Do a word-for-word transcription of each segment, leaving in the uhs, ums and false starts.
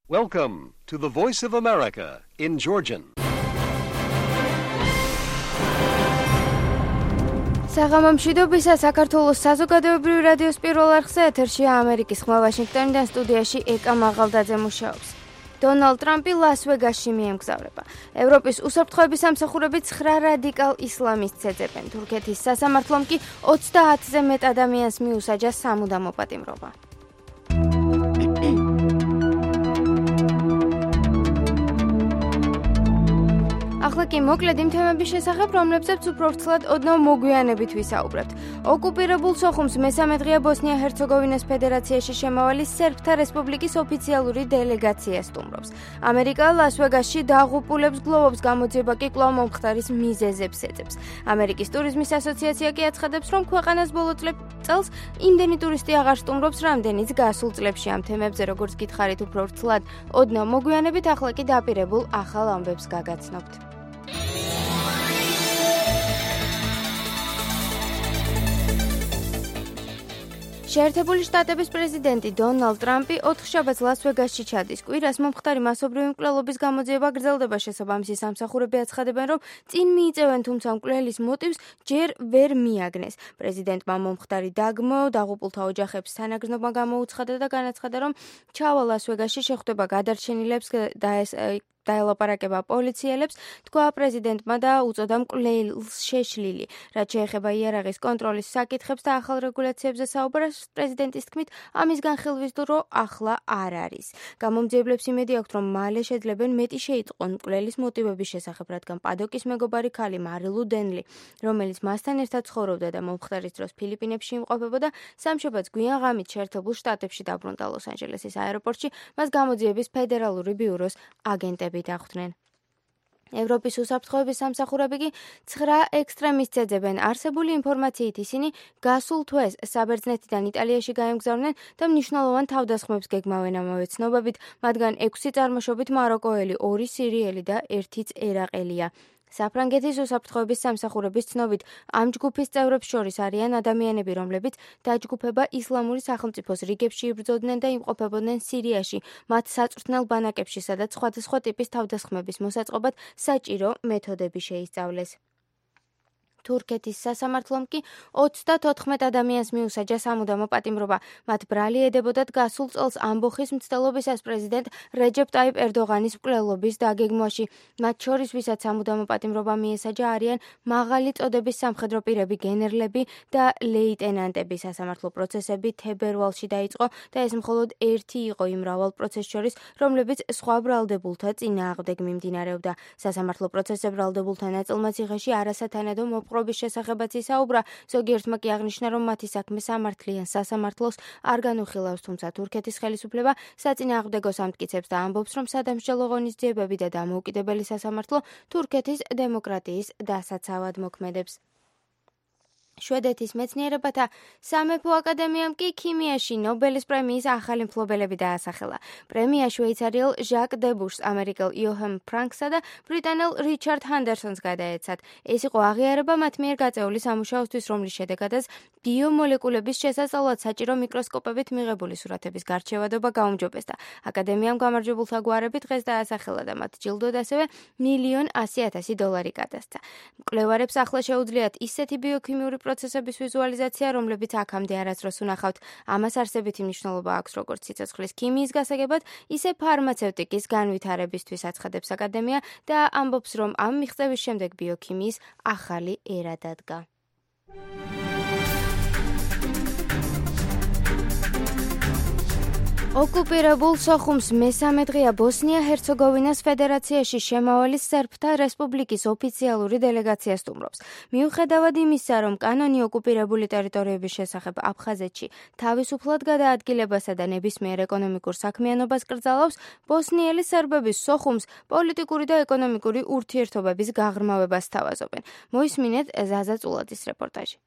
Welcome to the Voice of America in Georgian. საღამომშვიდობისა საქართველოს საზოგადოებრივი რადიოს პირველ არხზე ეთერშია ამერიკის ხმა ვაშინგტონიდან სტუდიაში ეკა მაღალდაძე მუშაობს. დონალდ ტრამპი ლას-ვეგასში მიემგზავრება. ევროპის უსაფრთხოების სამსახურები ცხრა რადიკალ ისლამისტს ეძებენ. თურქეთის სასამართლომ კი ოცდაათზე მეტ ადამიანს მიუსაჯა სამუდამო პატიმრობა. ახლა კი მოკლედ იმ თემების შესახებ, რომლებზეც უფრო ვრცლად ოდნავ მოგვიანებით ვისაუბრებთ. ოკუპირებულ სოხუმს მესამე დღეა ბოსნია-ჰერცეგოვინას ფედერაციაში შემავალი სერბთა რესპუბლიკის ოფიციალური დელეგაცია სტუმრობს. ამერიკა ლას-ვეგასში დაღუპულებს გლოვობს, გამოძიება კი კვლავ მომხდარის მიზეზებს ეძებს. ამერიკის ტურიზმის ასოციაცია კი აცხადებს, რომ ქვეყანას ბოლო წელს იმდენი ტურისტი აღარ სტუმრობს, რამდენიც გასულ წლებში. ამ თემებზე, როგორც გითხარით, უფრო ვრცლად ოდნავ მოგვიანებით, ახლა კი დაპირებულ ახალ ამბებს გაგაცნობთ. შეერთებული შტატების პრეზიდენტი დონალდ ტრამპი ოთხშაბათს ლას-ვეგასში ჩადის. კვირას მომხდარი მასობრივი მკვლელობის გამოძიება გრძელდება. შესაბამისი სამსახურები აცხადებენ, რომ წინ მიიწევენ, თუმცა მკვლელის მოტივს ჯერ ვერ მიაგნეს. პრეზიდენტმა მომხდარი დაგმო დაღუპულთა ოჯახებს თანაგრძნობა გამოუცხადა და განაცხადა, რომ ჩავა ლას-ვეგასში შეხვდება გადარჩენილებს და ეს დაელაპარაკება პოლიციელებს, თქვა პრეზიდენტმა და უწოდა მკვლელს შეშლილი. რაც შეეხება იარაღის კონტროლის საკითხებს და ახალ რეგულაციებზე საუბარს, პრეზიდენტის თქმით, ამის განხილვის დრო ახლა არ არის. გამომძიებლებს იმედი აქვთ, რომ მალე შეძლებენ მეტი შეიტყონ მკვლელის მოტივების შესახებ, რადგან პადოკის მეგობარი ქალი მარილუ დენლი, რომელიც მასთან ერთად ცხოვრობდა და მომხდარის დროს ფილიპინებში იმყოფებოდა, სამშაბათს გვიან ღამით შეერთებულ შტატებში დაბრუნდა ლოს-ანჯელესის აეროპორტში, მას გამოძიების ფედერალური ბიუროს აგენტები დახვდნენ. ევროპის უსაფრთხოების სამსახურები კი ცხრა ექსტრემისტს ეძებენ. არსებული ინფორმაციით ისინი გასულ თვეს საბერძნეთიდან იტალიაში გაემგზავრნენ და მნიშვნელოვან თავდასხმებს გეგმავენ. ამავე ცნობებით, მათგან ექვსი წარმოშობით მაროკოელი, ორი სირიელი და ერთიც ერაყელია. საფრანგეთის უსაფრთხოების სამსახურების ცნობით, ამ ჯგუფის წევრებს შორის არიან ადამიანები, რომლებიც დაჯგუფება ისლამური სახელმწიფოს რიგებში იბრძოდნენ და იმყოფებოდნენ სირიაში, მათ საწვრთნელ ბანაკებში, სადაც სხვადასხვა ტიპის თავდასხმების მოსაწყობად საჭირო მეთოდები შეისწავლეს. თურქეთის სასამართლომ კი ოცდათოთხმეტ ადამიანს მიუსაჯა სამუდამო პატიმრობა. მათ ბრალი ედებოდათ გასულ წელს ამბოხის მცდელობისას პრეზიდენტ რეჯეპ ტაიპ ერდოღანის მკვლელობის დაგეგმვაში. მათ შორის, ვისაც სამუდამო პატიმრობა მიესაჯა, არიან მაღალი წოდების სამხედრო პირები, გენერლები და ლეიტენანტები. სასამართლო პროცესები თებერვალში დაიწყო და ეს მხოლოდ ერთი იყო იმ მრავალ პროცესს შორის, რომლებიც სხვა ბრალდებულთა წინააღმდეგ მიმდინარეობდა. სასამართლო პროცესზე ბრალდებულთა ნაწილმა ციხეში არასათანადო მოპყრობის შესახებაც ისაუბრა. ზოგიერთმა კი აღნიშნა, რომ მათი საქმე სამართლიან სასამართლოს არ განუხილავს, თუმცა თურქეთის ხელისუფლება საწინააღმდეგოს ამტკიცებს და ამბობს, რომ სადამსჯელო ღონისძიებები და დამოუკიდებელი სასამართლო თურქეთის დემოკრატიის დასაცავად მოქმედებს. შვედეთის მეცნიერებათა სამეფო აკადემიამ კი ქიმიაში ნობელის პრემიის ახალი მფლობელები დაასახელა. პრემია შვეიცარიელ ჟაკ დებუშს, ამერიკელ იოჰან ფრანკსა და ბრიტანელ რიჩარდ ჰანდერსონს გადაეცათ. ეს იყო აღიარება მათ მიერ გაწეული სამუშაოსთვის, რომლის შედეგადაც ბიომოლეკულების შესასწავლად საჭირო მიკროსკოპებით მიღებული სურათების გარჩევადობა გაუმჯობესდა. აკადემიამ გამარჯვებულთა გვარები დღეს დაასახელა და მათ ჯილდოდ ასევე მილიონ ასი ათასი დოლარი გადასცა. მკვლევარებს ახლა შეუძლიათ ისეთი ბიოქიმიური პროცესების ვიზუალიზაცია, რომლებიც აქამდე არასდროს უნახავთ. ამას არსებითი მნიშვნელობა აქვს როგორც სიცოცხლის ქიმიის გასაგებად, ისე ფარმაცევტიკის განვითარებისთვის, აცხადებს აკადემია და ამბობს, რომ ამ მიღწევის შემდეგ ბიოქიმიის ახალი ერა დადგა. ოკუპირებულ სოხუმს მესამე დღეა ბოსნია-ჰერცეგოვინას ფედერაციაში შემავალი სერბთა რესპუბლიკის ოფიციალური დელეგაცია სტუმრობს. მიუხედავად იმისა, რომ კანონი ოკუპირებული ტერიტორიების შესახებ აფხაზეთში თავისუფლად გადაადგილებასა და ნებისმიერ ეკონომიკურ საქმიანობას კრძალავს, ბოსნიელი სერბების სოხუმს პოლიტიკური და ეკონომიკური ურთიერთობების გაღრმავებას სთავაზობენ. მოისმინეთ ზაზა წულაძის რეპორტაჟი.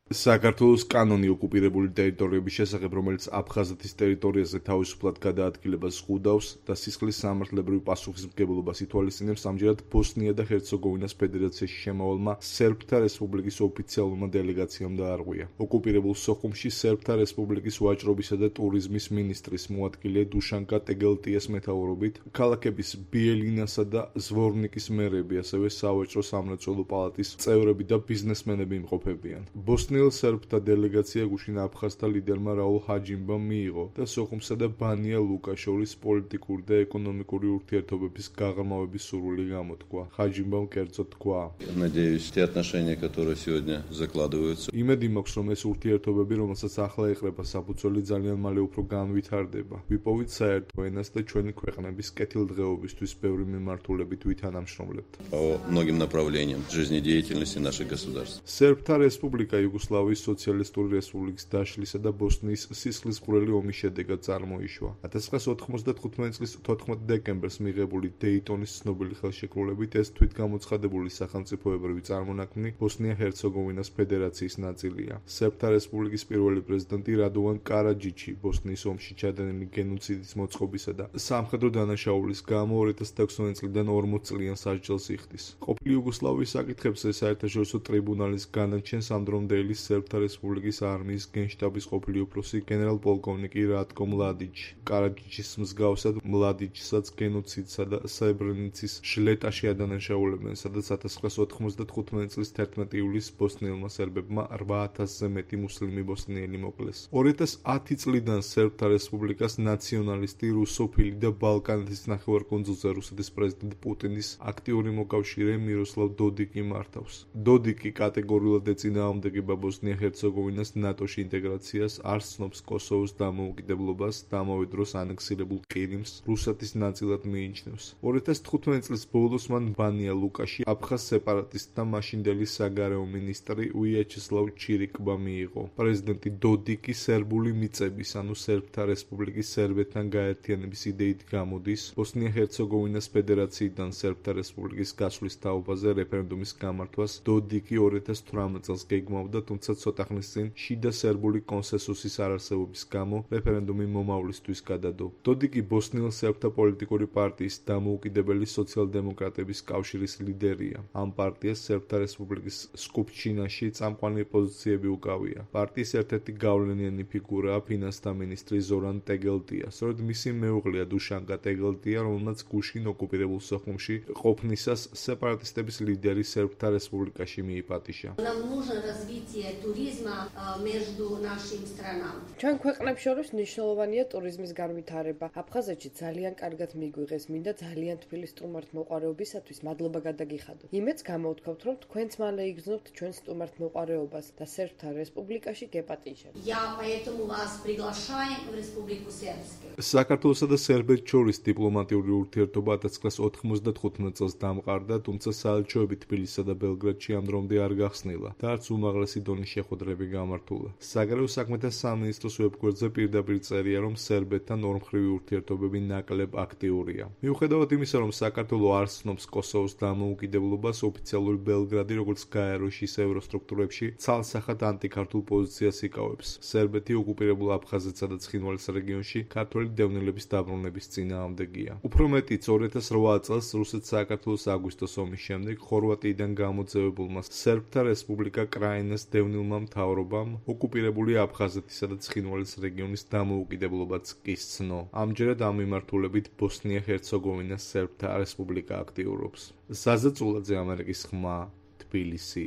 საქართველოს კანონი ოკუპირებული ტერიტორიების შესახებ, რომელიც აფხაზეთის ტერიტორიაზე თავისუფლად გადაადგილებას ხვდავს და სისხლის სამართლებრივ პასუხისმგებლობას ითვალისწინებს, ამჯერად ბოსნია და ჰერცეგოვინას ფედერაციაში შემავალმა სერბთა რესპუბლიკის ოფიციალურმა დელეგაციამ დაარღვია. ოკუპირებულ სოხუმში სერბთა რესპუბლიკის ვაჭრობისა და ტურიზმის მინისტრის მოადგილე დუშანკა ტეგელტიას მეთაურობით ქალაქების ბიელინასა და ზვორნიკის მერები, ასევე სავაჭრო სამრეწველო პალატის წევრები და ბიზნესმენები იმყოფებიან. ბოსნიელ სერბთა დელეგაცია გუშინ აფხაზთა ლიდერმა რაულ ჰაჯიმბამ მიიღო და სოხუმსა და ბანია ლუკას შორის პოლიტიკური და ეკონომიკური ურთიერთობების გაღრმავების სურვილი გამოთქვა. ჰაჯიმბამ კერძოდ თქვა: Надеюсь, те отношения, которые сегодня закладываются. იმედი მაქვს, რომ ეს ურთიერთობები, რომელსაც ახლა ეყრება საფუძველი, ძალიან მალე უფრო განვითარდება. ვიპოვით საერთო ენას და ჩვენი ქვეყნების კეთილდღეობისთვის ბევრი მიმართულებით ვითანამშრომლებთ. По многим направлениям жизнедеятельности наших государств. სერბთა რესპუბლიკა იუგოსლავიის სოციალისტური რესპუბლიკის დაშლისა და ბოსნიის სისხლისმღვრელი ომის შედეგად წარმოიშვა. ათას ცხრაასი ოთხმოცდათხუთმეტი წლის თოთხმეტ დეკემბერს მიღებული დეიტონის ცნობილი ხელშეკრულებით ეს თვითგამოცხადებული სახელმწიფოებრივი წარმონაქმნი ბოსნია-ჰერცეგოვინას ფედერაციის ნაწილია. სერბთა რესპუბლიკის პირველი პრეზიდენტი რადოვან კარაჯიჩი ბოსნიის ომში ჩადენილი გენოციდის მოწყობისა და სამხედრო დანაშაულის გამო ორი ათას ათექვსმეტი წლიდან ორმოც წლიან სასჯელს იხდის. ყოფილი იუგოსლავიის საკითხებზე საერთაშორისო ტრიბუნალის განაჩენს ამ დრომდელი სერბთა რესპუბლიკის არმიის გენშტაბის ყოფილი უფროსი გენერალ-პოლკოვნიკი რატკო მლადიჩი. კარაჯიჩის მსგავსად მლადიჩსაც გენოციდსა და სებრენიცის ჟლეტაში ადანაშაულებენ, სადაც ათას ცხრაასი ოთხმოცდათხუთმეტი წლის თერთმეტი ივლისს ბოსნიელმა სერბებმა რვა ათასზე მეტი მუსლიმი ბოსნიელი მოკლეს. ორი ათას ათი წლიდან სერბთა რესპუბლიკას ნაციონალისტი, რუსოფილი და ბალკანეთის ნახევარკუნძულზე რუსეთის პრეზიდენტ პუტინის აქტიური მოკავშირე მიროსლავ დოდიკი მართავს. დოდიკი კატეგორიულად ეწინააღმდეგება ბოსნია-ჰერცეგოვინას ნატოში ინტეგრაციას, არ ცნობს კოსოვოს დამოუკიდებლობას და ამავე დროს ანექსირებულ ყირიმს რუსეთის ნაწილად მიიჩნევს. ორი ათას თხუთმეტი წლის ბოლოს მან ბანია ლუკაში აფხაზ სეპარატისტთა მაშინდელი საგარეო მინისტრი ვიაჩესლავ ჩირიკბა მიიღო. პრეზიდენტი დოდიკი სერბული მიწების, ანუ სერბთა რესპუბლიკის სერბეთთან გაერთიანების იდეით გამოდის ბოსნია-ჰერცეგოვინას ფედერაციიდან სერბთა რესპუბლიკის გასვლის თაობაზე რეფერენდუმის გამართვას დოდიკი ორი ათას თვრამეტ წელს გეგმავდა, თუმცა ცოტა ხნის წინ შიდა სერბული კონსენსუსის არარსებობის გამო რეფერენდუმი მომავლისთვის გადადო. დოდიკი ბოსნიელ სერბთა პოლიტიკური პარტიის დამოუკიდებელი სოციალ-დემოკრატების კავშირის ლიდერია. ამ პარტიას სერბთა რესპუბლიკის სკუპშჩინაში წამყვანი პოზიციები უკავია. პარტიის ერთ-ერთი გავლენიანი ფიგურაა ფინანსთა მინისტრი ზორან ტეგელტია. სწორედ მისი მეუღლეა დუშანკა ტეგელტია, რომელმაც გუშინ ოკუპირებულ სოხუმში ყოფნისას სეპარატისტების ლიდერი სერბთა რესპუბლიკაში მიიპატიჟა. Нам нужно развитие туризма между нашими странами. ჩვენ ქვეყნებს შორის მნიშვნელოვანია ტურიზმის განვითარება. აფხაზეთში ძალიან კარგად მიგვიღეს, მინდა ძალიან თბილი სტუმართმოყვარეობისათვის მადლობა გადაგიხადოთ. იმედს გამოვთქვათ, რომ თქვენც მალე იგრძნობთ ჩვენ სტუმართმოყვარეობას და სერბთა რესპუბლიკაში გეპატიჟებთ. Я поэтому вас приглашаю в Республику Сербскую. საქართველოსა და სერბეთს შორის დიპლომატიური ურთიერთობა ათას ცხრაასი ოთხმოცდათხუთმეტ წელს დამყარდა, თუმცა საელჩოები თბილისსა და ბელგრადში ამ დრომდე არ გახსნილა და არც უმაღლესი დონის შეხვედრები გამართულა. საგარეო საქმეთა სამინისტროს ვებგვერდზე პირდაპირ წერია, რომ სერბეთთან ორმხრივი ურთიერთობები ნაკლებ აქტიურია. მიუხედავად იმისა, რომ საქართველო არ ცნობს კოსოვოს დამოუკიდებლობას, ოფიციალური ბელგრადი, როგორც გაეროში, ისე ევროსტრუქტურებში ცალსახად ანტიქართულ პოზიციას იკავებს. სერბეთი ოკუპირებულ აფხაზეთსა და ცხინვალის რეგიონში ქართველი დევნილების დაბრუნების წინააღმდეგია. უფრო მეტიც, ორი ათას რვა წელს რუსეთ-საქართველოს აგვისტოს ომის შემდეგ ხორვატიიდან გამოძევებულმა სერბთა რესპუბლიკა კრაინას დევნილმა მთავრობამ ოკუპირებული აფხაზეთისა და ცხინვალის რეგიონის დამოუკიდებლობაც კი სცნო. ამჯერად ამ მიმართულებით ბოსნია-ჰერცეგოვინას სერბთა რესპუბლიკა აქტიურობს. ზაზა წულაძე, ამერიკის ხმა, თბილისი.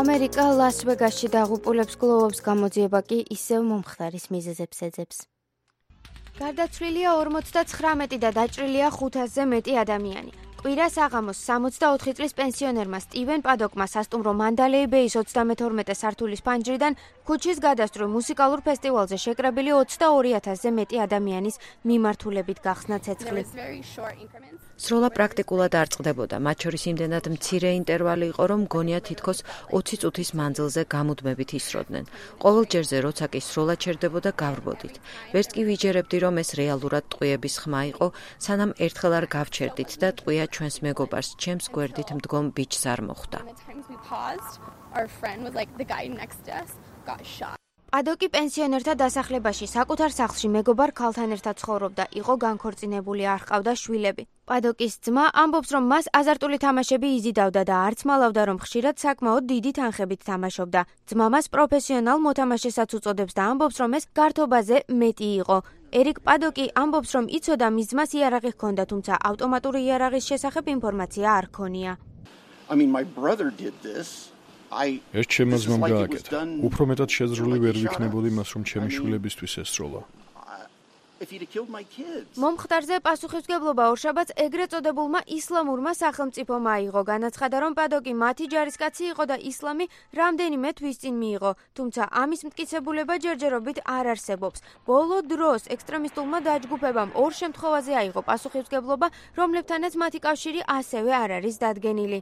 ამერიკა ლას-ვეგასში დაღუპულებს გლოვობს, გამოძიება კი ისევ მომხდარის მიზეზებს ეძებს. გარდაცვლილია ორმოცდაცხრამეტი და დაჭრილია ხუთასზე მეტი ადამიანი. კვირას აღამოს სამოცდაოთხი წლის პენსიონერმა სტივენ პადოკმა სასტუმრო მანდალეი ბეის ოცდამეთორმეტე სართულის ფანჯრიდან ქუჩის გადასწრო მუსიკალურ ფესტივალზე შეკრებილი ოცდაორი ათასზე მეტი ადამიანის მიმართულებით გახსნა ცეცხლი. სროლა პრაქტიკულად არ წყდებოდა, მათ შორის იმდენად მცირე ინტერვალი იყო, რომ გონია თითქოს ოცი წუთის მანძილზე გამუდმებით ისროდნენ. ყოველ ჯერზე, როცა კი სროლა ჩერდებოდა, გავრბოდით. ვერც კი ვიჯერებდი, რომ ეს რეალურად ტყვიების ხმა იყო, სანამ ერთხელ არ გავჩერდით და ტყვია ჩვენს მეგობარს ჩემს გვერდით მდგომ ბიჭს არ მოხვდა. პადოკი პენსიონერთა დასახლებაში საკუთარ სახლში მეგობარ ქალთან ერთად ცხოვრობდა, იყო განქორწინებული, არ ჰყავდა შვილები. პადოკის ძმა ამბობს, რომ მას აზარტული თამაშები იზიდავდა და არც მალავდა, რომ ხშირად საკმაოდ დიდი თანხებით თამაშობდა. ძმა მას პროფესიონალ მოთამაშესაც უწოდებს და ამბობს, რომ ეს გართობაზე მეტი იყო. ერიკ პადოკი ამბობს, რომ იცოდა მის ძმას იარაღი ჰქონდა, თუმცა ავტომატური იარაღის შესახებ ინფორმაცია არ ჰქონია. I mean, my brother did this. ეს ჩემმა ძმამ გააკეთა. უფრო მეტად შეზრული ვერ ვიქნებოდი მას, რომ ჩემი შვილებისთვის ესროლა. მომხდარზე პასუხისმგებლობა ორშაბათს ეგრეთ წოდებულმა ისლამურმა სახელმწიფომ აიღო. განაცხადა, რომ პადოკი მათი ჯარისკაცი იყო და ისლამი რამდენიმე თვის წინ მიიღო, თუმცა ამის მტკიცებულება ჯერჯერობით არ არსებობს. ბოლო დროს ექსტრემისტულმა დაჯგუფებამ ორ შემთხვევაზე აიღო პასუხისმგებლობა, რომლებთანაც მათი კავშირი ასევე არ არის დადგენილი.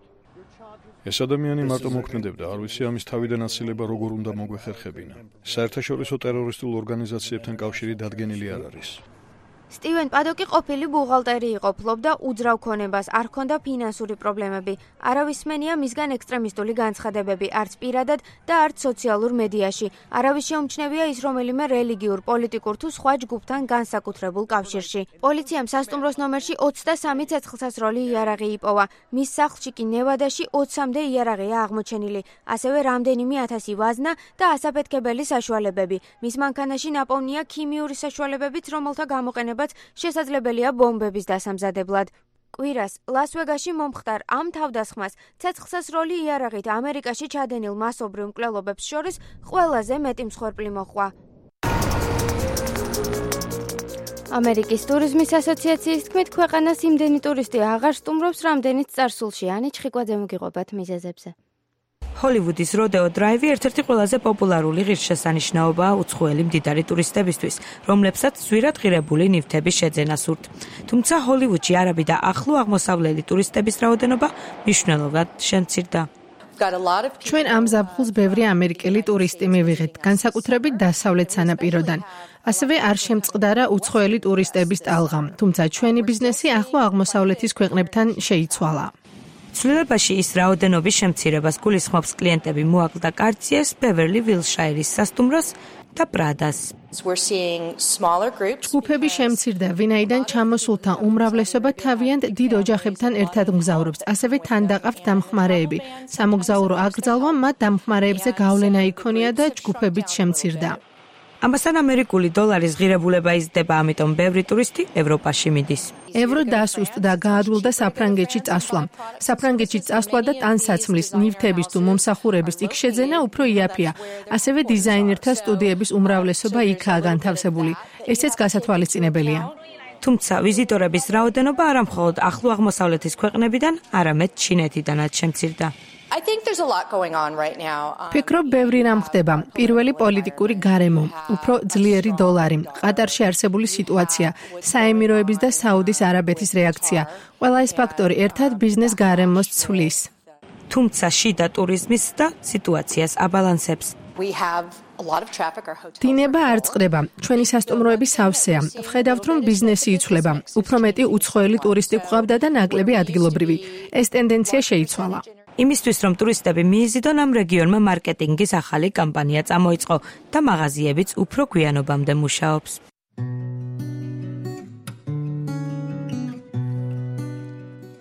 ეს ადამიანი მარტო მოქმედებდა, არ ვიცი ამის თავიდან ასილება როგორ უნდა მოგვეხერხებინა. საერთაშორისო ტერორისტულ ორგანიზაციებთან კავშირი დადგენილი არ არის. სტივენ პადოკი ყოფილი ბუღალტერი იყო, ფლობდა უძრავ ქონებას, არ ჰქონდა ფინანსური პრობლემები. არავის სმენია მისგან ექსტრემისტული განცხადებები, არც პირადად და არც სოციალურ მედიაში. არავის შეუმჩნევია ის რომელიმე რელიგიურ, პოლიტიკურ თუ სხვა ჯგუფთან განსაკუთრებულ კავშირში. პოლიციამ სასტუმროს ნომერში ოცდასამი ცეცხლსასროლი იარაღი იპოვა. მის სახლში კი ნევადაში ოცამდე იარაღია აღმოჩენილი, ასევე რამდენიმე ათასი ვაზნა და ასაფეთქებელი საშუალებები. მის მანქანაში ნაპოვნია ქიმიური საშუალებებიც, რომელთა გამოყენება შესაძლებელია ბომბების დასამზადებლად. კვირას ლას-ვეგასში მომხდარ ამ თავდასხმას ცეცხლსასროლი იარაღით ამერიკაში ჩადენილ მასობრივ მკვლელობებს შორის ყველაზე მეტი მსხვერპლი მოჰყვა. ამერიკის ტურიზმის ასოციაციის თქმით, ქვეყანას იმდენი ტურისტი აღარ სტუმრობს, რამდენიც წარსულში. ანი ჩხიკვაძე მოგიყვებათ მიზეზებზე. ჰოლივუდის როდეო დრაივი ერთ-ერთი ყველაზე პოპულარული ღირსშესანიშნაობაა უცხოელი მდიდარი ტურისტებისთვის, რომლებსაც ზვირად ღირებული ნივთების შეძენა სურთ. თუმცა ჰოლივუდში არაბი და ახლო აღმოსავლელი ტურისტების რაოდენობა მნიშვნელოვნად შემცირდა. ჩვენ ამ ზაფხულს ბევრი ამერიკელი ტურისტი მივიღეთ, განსაკუთრებით დასავლეთ სანაპიროდან. ასევე არ შემწყდარა უცხოელი ტურისტების ტალღა, თუმცა ჩვენი ბიზნესი ახლო აღმოსავლეთის ქვეყნებთან შეიცვალა. ცვლილებაში ის რაოდენობის შემცირებას გულისხმობს კლიენტები მოაკლდა კარციეს, ბევერლი ვილშაირის სასტუმროს და პრადას. ჯგუფები შემცირდა, ვინაიდან ჩამოსულთა უმრავლესობა თავიანთ დიდ ოჯახებთან ერთად მგზავრობს, ასევე თან დაყავთ დამხმარეები. სამოგზაურო აკრძალვა მათ დამხმარეებზე გავლენა იქონია და ჯგუფებიც შემცირდა. ამასთან ამერიკული დოლარის ღირებულება იზრდება, ამიტომ ბევრი ტურისტი ევროპაში მიდის. ევრო დასუსტდა და გაადვილდა საფრანგეთში წასვლა. საფრანგეთში წასვლა და ტანსაცმლის, ნივთების თუ მომსახურების იქ შეძენა უფრო იაფია. ასევე დიზაინერთა სტუდიების უმრავლესობა იქაა განთავსებული. ესეც გასათვალისწინებელია. თუმცა ვიზიტორების რაოდენობა არა მხოლოდ ახლო აღმოსავლეთის ქვეყნებიდან, არამედ ჩინეთიდანაც შემცირდა. ფიქრობ, ბევრი რამ ხდება. პირველი პოლიტიკური გარემო, უფრო ძლიერი დოლარი, ყატარში არსებული სიტუაცია, საემიროების და საუდის არაბეთის რეაქცია. ყველა ეს ფაქტორი ერთად ბიზნეს გარემოს ცვლის. თუმცა შიდა ტურიზმის და სიტუაციას აბალანსებს. დინება არ წყდება. ჩვენი სასტუმროები სავსეა. ვხედავთ, რომ ბიზნესი იცვლება. უფრო მეტი უცხოელი ტურისტი გვყავდა და ნაკლები ადგილობრივი. ეს ტენდენცია შეიცვალა. იმისთვის, რომ ტურისტები მიიზიდონ, ამ რეგიონმა მარკეტინგის ახალი კამპანია წამოიწყო და მაღაზიებიც უფრო გვიანობამდე მუშაობს.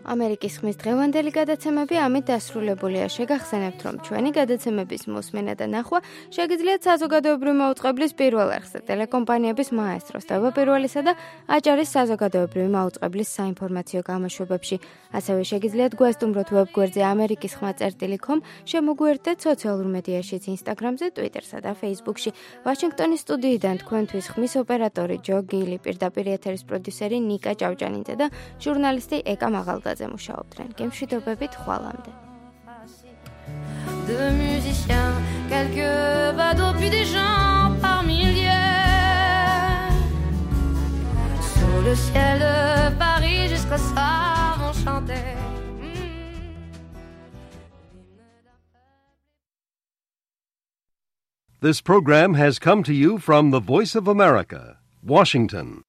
ამერიკის ხმის დღევანდელი გადაცემები ამით დასრულებულია. შეგახსენებთ, რომ ჩვენი გადაცემების მოსმენა და ნახვა შეგიძლიათ საზოგადოებრივი მაუწყებლის პირველ არხზე, ტელეკომპანიების მაესტროს, თავდაპირველისა და აჭარის საზოგადოებრივი მაუწყებლის საინფორმაციო გამოშვებებში. ასევე შეგიძლიათ გვესტუმროთ ვებგვერდზე ამერიკის ხმა წერტილი კომ, შემოგვიერთდეთ სოციალურ მედიაშიც, ინსტაგრამზე, ტვიტერსა და ფეისბუქში. ვაშინგტონის სტუდიიდან თქვენთვის ხმის ოპერატორი ჯო გილი, პირდაპირ ეთერის პროდიუსერი ნიკა ჭავჭანიძე და ჟურნალისტი ეკა მაღალდაძე მუშაობდნენ. გემშვიდობებით ხვალამდე. De musiciens, quelques badauds, puis des gens par milliers. Sous le ciel de Paris, jusqu'au soir vont chanter. This program has come to you from the Voice of America, Washington.